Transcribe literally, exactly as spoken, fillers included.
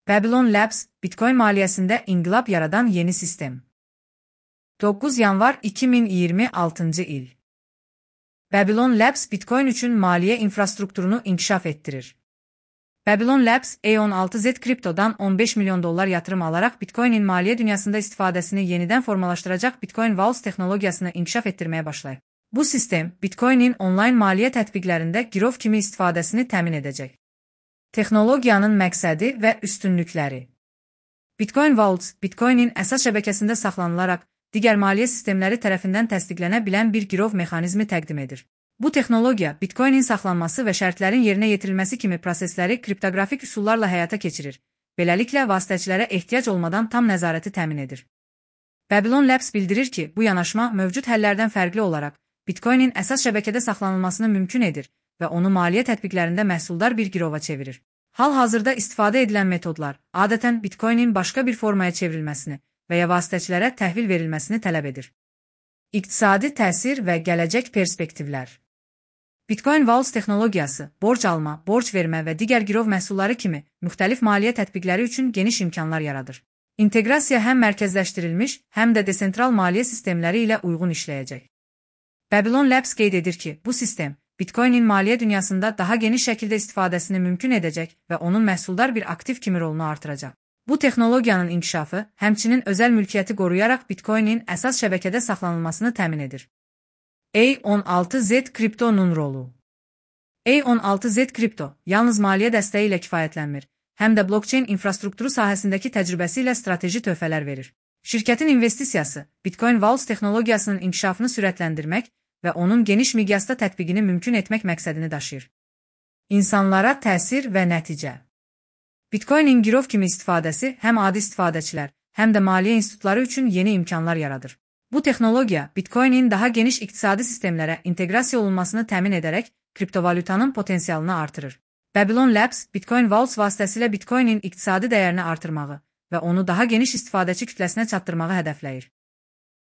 Babylon Labs, Bitcoin maliyesinde inqilab yaradan yeni sistem. doqquz yanvar iki min iyirmi altıncı il. Babylon Labs, Bitcoin üçün maliyyə infrastrukturunu inkişaf ettirir. Babylon Labs, A on altı Z kriptodan on beş milyon dollar yatırım alarak Bitcoin'in maliyyə dünyasında istifadəsini yenidən formalaşdıracaq Bitcoin Vaults texnologiyasını inkişaf ettirməyə başlayıb. Bu sistem, Bitcoin'in online maliyyə tətbiqlərində girov kimi istifadəsini təmin edəcək. Texnologiyanın məqsədi və üstünlükləri. Bitcoin Vaults, Bitcoin'in əsas şəbəkəsində saxlanılaraq, digər maliyyə sistemləri tərəfindən təsdiqlənə bilən bir girov mexanizmi təqdim edir. Bu texnologiya, Bitcoin'in saxlanması və şərtlərin yerinə yetirilməsi kimi prosesləri kriptoqrafik üsullarla həyata keçirir. Beləliklə, vasitəçilərə ehtiyac olmadan tam nəzarəti təmin edir. Babylon Labs bildirir ki, bu yanaşma mövcud həllərdən fərqli olaraq, Bitcoin'in əsas şəbəkədə saxlanılmasını mümkün edir və onu maliyyə tətbiqlərində məhsuldar bir girova çevirir. Hal-hazırda istifadə edilən metodlar, adətən Bitcoin'in başqa bir formaya çevrilməsini və ya vasitəçilərə təhvil verilməsini tələb edir. İqtisadi təsir və gələcək perspektivlər. Bitcoin Vaults texnologiyası, borc alma, borc vermə və digər girov məhsulları kimi müxtəlif maliyyə tətbiqləri üçün geniş imkanlar yaradır. İnteqrasiya həm mərkəzləşdirilmiş, həm də desentral maliyyə sistemləri ilə uyğun işləyəcək. Babylon Labs qeyd edir ki, bu sistem Bitcoin'in maliyyə dünyasında daha geniş şəkildə istifadəsini mümkün edəcək və onun məhsuldar bir aktiv kimi rolunu artıracaq. Bu texnologiyanın inkişafı, həmçinin özəl mülkiyyəti qoruyaraq Bitcoin'in əsas şəbəkədə saxlanılmasını təmin edir. A on altı Z kriptonun rolu. A on altı Z kripto yalnız maliyyə dəstəyi ilə kifayətlənmir, həm də blockchain infrastrukturu sahəsindəki təcrübəsi ilə strateji töhfələr verir. Şirkətin investisiyası, Bitcoin Vaults texnologiyasının inkişafını sürətləndirmək və onun geniş miqyasda tətbiqini mümkün etmək məqsədini daşıyır. İnsanlara təsir və nəticə. Bitcoin'in girov kimi istifadəsi həm adi istifadəçilər, həm də maliyyə institutları üçün yeni imkanlar yaradır. Bu texnologiya, Bitcoin'in daha geniş iqtisadi sistemlərə inteqrasiya olunmasını təmin edərək, kriptovalyutanın potensialını artırır. Babylon Labs, Bitcoin Vaults vasitəsilə Bitcoin'in iqtisadi dəyərini artırmağı və onu daha geniş istifadəçi kütləsinə çatdırmağı hədəfləyir.